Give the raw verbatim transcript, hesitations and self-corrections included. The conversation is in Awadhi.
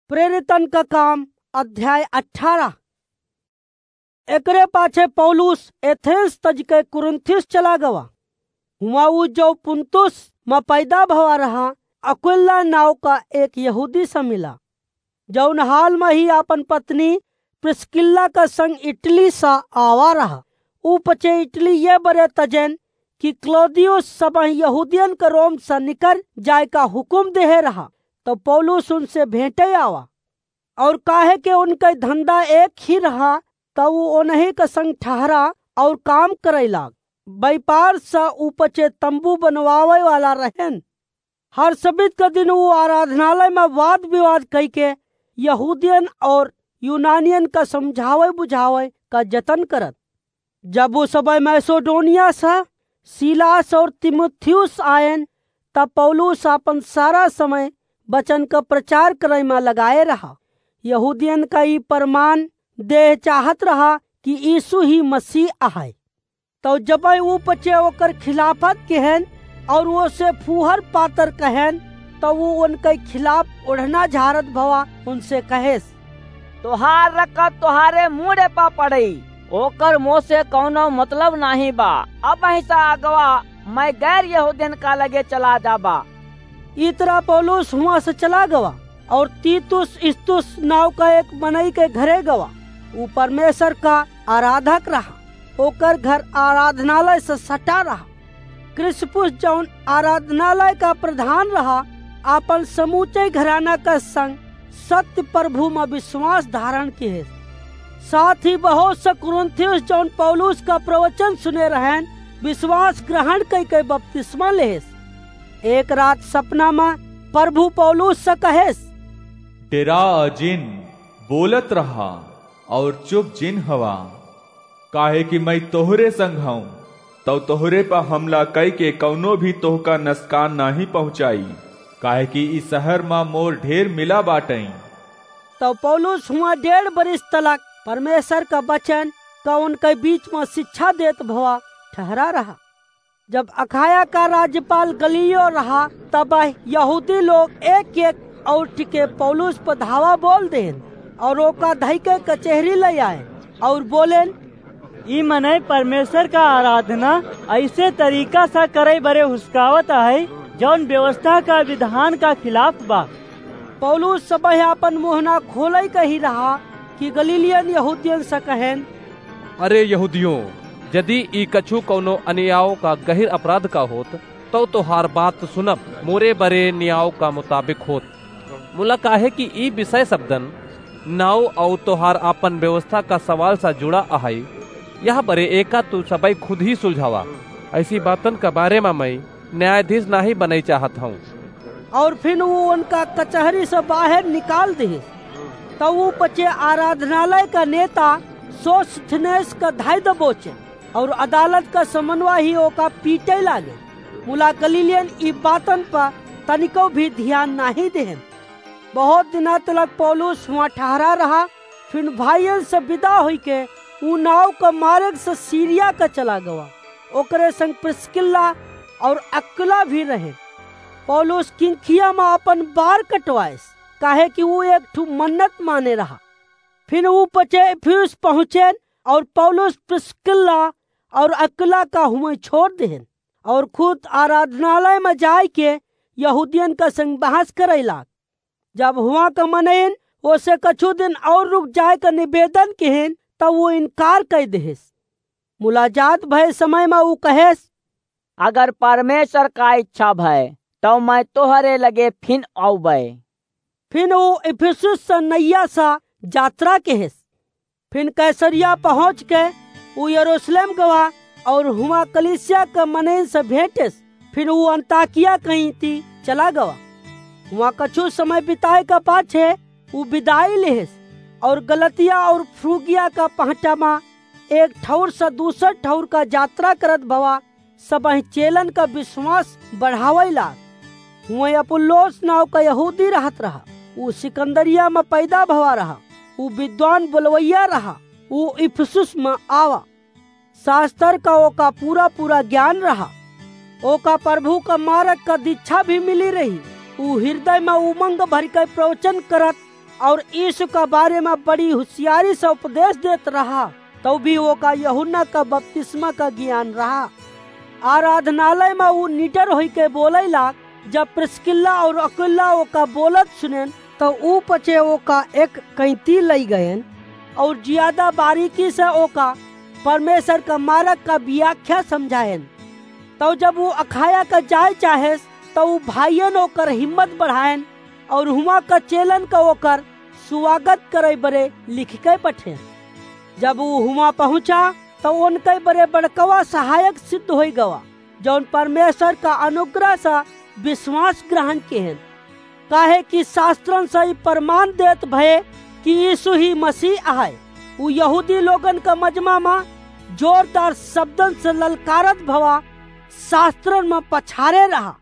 प्रेरितन का काम, अध्याय अठारह। एकरे पाछे पौलुस एथेंस तजके कुरिन्थियुस चला गवा। हुआँ ऊ जौ पुन्तुस म पैदा भवा रहा, अक्विला नाव का एक यहूदी से मिला, जौन हाल म ही आपन पत्नी प्रिस्किल्ला का संग इटली सा आवा रहा। ऊ पचे इटली ये बरे तजेन कि क्लौदियुस सबही यहूदियन का रोम सा निकर जाए का हुकुम देहे रहा, तो पौलुस उनसे भेंटे आवा। और काहे के उनका धंधा एक ही रहा, तो ऊ उन्हीं का संग ठहरा और काम करे लाग। व्यापार सा ऊ पचे तंबू बनवावे वाला रहेन। हर सब्त का दिन ऊ आराधनालय में वाद विवाद कई के यहूदियन और यूनानियन का समझावे बुझावे का जतन करत। जब ऊ सबही मैसेडोनिया से सीलास और तीमुथियुस आयन, तब पौलुस आपन सारा समय वचन का प्रचार करे में लगाए रहा। यहूदियन का ई प्रमाण देह चाहत रहा कि यीशु ही मसीह आहे। तो जबही ऊ पचे ओकर खिलाफत कहेन और ओसे फूहर पातर कहेन, तो ऊ उनके खिलाफ ओढ़ना झारत भवा उनसे कहेस, "तोहार रकत तोहारे मूड़े पा पड़ई, ओकर मोसे कौनो मतलब नाहीं बा। अबहीं से अगवा मैं गैर यहूदियन का लगे चला जाबा।" ई तरह पौलुस हुआँ से चला गवा और तीतुस इस्तुस नाव का एक मनई के घरे गवा। ऊ परमेश्वर का आराधक रहा। ओकर घर आराधनालय से सटा रहा। क्रिस्पुस, जौन आराधनालय का प्रधान रहा, आपन समूचे घराना का संग सत्य प्रभु में विश्वास धारण किहे। साथ ही बहुत से कुरिन्थियुस, जौन पौलुस का प्रवचन सुने रहेन, विश्वास ग्रहण कई के बपतिस्मा लेहेस। एक रात सपना में प्रभु पौलुस से कहेस, "डेरा जिन, बोलत रहा और चुप जिन हवा, काहे कि मैं तोहरे संग हूँ, तौ तोहरे पर हमला कई के कौनो भी तोहका नसकान नाहीं पहुँचाई, काहे कि ई शहर मा मोर ढेर मिला बाटई।" तौ पौलुस हुआँ डेढ़ बरिस तलक परमेश्वर का वचन का उनके बीच में शिक्षा देत भवा ठहरा रहा। जब अखाया का राज्यपाल गलियो रहा, तब यहूदी लोग एक एक और टिके पौलुस पर धावा बोल देन और ओका धई के कचेहरी ले आए और बोलेन, "ई मनई परमेश्वर का आराधना ऐसे तरीका से करे बरे हुसकावत है, जौन व्यवस्था का विधान का खिलाफ बा।" पौलुस सबह आपन मुँह ना खोलई कही रहा कि गलीलियन यहूदियन से कहेन, "अरे यहूदियों, यदि ई कछु कौनो अन्याव का गहिर अपराध का होत, तौ तोहार बात सुनब मोरे बरे न्याव का मुताबिक होत। मुला काहे कि ई विषय शब्दन, नाव और तोहार आपन व्यवस्था का सवाल सा जुड़ा अहई, यह बरे एका तू सबई खुद ही सुलझावा। ऐसी बातन का बारे मा मैं न्यायाधीश नाही बनई चाहत हूँ।" और फिर वो उनका कचहरी से बाहर निकाल दिहिस। तब वो पचे आराधनालय का नेता सोस्थिनेस का धाई दबोचे और अदालत का समन्वय ही ओका पीटे लागे। मुला गलीलियन ई बातन पर तनिको भी ध्यान नाही देहन। बहुत दिना तलक पौलुस हुआं ठहरा रहा, फिर भाइयन से विदा होई के ऊ नाव का मार्ग से सीरिया का चला गवा। ओकरे संग प्रिस्किल्ला और अक्विला भी रहे। पौलुस किंखिया में अपन बार कटवाएस, काहे कि ऊ एक ठू मन्नत माने रहा। फिर ऊ पचे इफिसुस पहुँचेन और पौलुस प्रिस्किल्ला और अक्विला का हुआं छोड़ देहन और खुद आराधनालय में जाए के यहूदियन का संग बहस करे लाग। जब हुआं का मनइन ओसे कछु दिन और रुक जाए का निवेदन किहिन, तब वो इनकार कर देहिस। मुलाजात भय समय में वो कहेस, "अगर परमेश्वर का इच्छा भय, तो मैं तोहरे लगे फिन आउबे।" फिन वो इफिसुस से नैया सा यात्रा किहिस। फिन कैसरिया पहुँच के ऊ यरूशलेम गवा और हुआं कलीसिया के मनइन से भेंटिस। फिन ऊ अंताकिया कहीं ती चला गवा। हुआं कछु समय बिताए के पाछे ऊ विदाई लिहिस और गलतिया और फ्रूगिया का पहटा मा एक ठौर से दूसर ठौर का यात्रा करत भवा सबही चेलन का विश्वास बढ़ावइ लाग। हुआं अपुल्लोस नाव का यहूदी रहत रहा, ऊ सिकंदरिया में पैदा भवा रहा, ऊ विद्वान बोलवैया रहा, ऊ इफिसुस में आवा। शास्त्र का ओका पूरा पूरा ज्ञान रहा। ओका प्रभु का मार्ग का दीक्षा भी मिली रही। ऊ हृदय में उमंग भर के प्रवचन करत और यीशु का बारे मा बड़ी हुसियारी से उपदेश देत रहा, तउ भी ओका यूहन्ना का बपतिस्मा का ज्ञान रहा। आराधनालय मा ऊ निडर होइके बोलइ लाग। जब प्रिस्किल्ला और अकुइला ओका बोलत सुनेन, तउ ऊ पचे ओका एक कैंती लइ गएन और जियादा बारीकी से ओका परमेश्वर का मारग का बियाख्या समझाएन। तउ जब ऊ अखाया का जाए चाहेस, तउ ऊ भाइयन ओकर हिम्मत बढ़ाएन और हुआँ का चेलन का ओकर सुवागत करइ बरे लिखिके पठेन। जब ऊ हुआँ पहुँचा, तउ ओनकइ बरे बड़कवा सहायक सिद्ध होइ गवा, जउन परमेश्वर का अनुग्रह से विश्वास ग्रहण किहेन। काहे कि शास्त्रन से ई प्रमाण देत भए कि यीशु ही मसीह अहइ। ऊ यहूदी लोगन का मजमा मा जोरदार शब्दन से ललकारत भवा शास्त्रन मा पछारे रहा।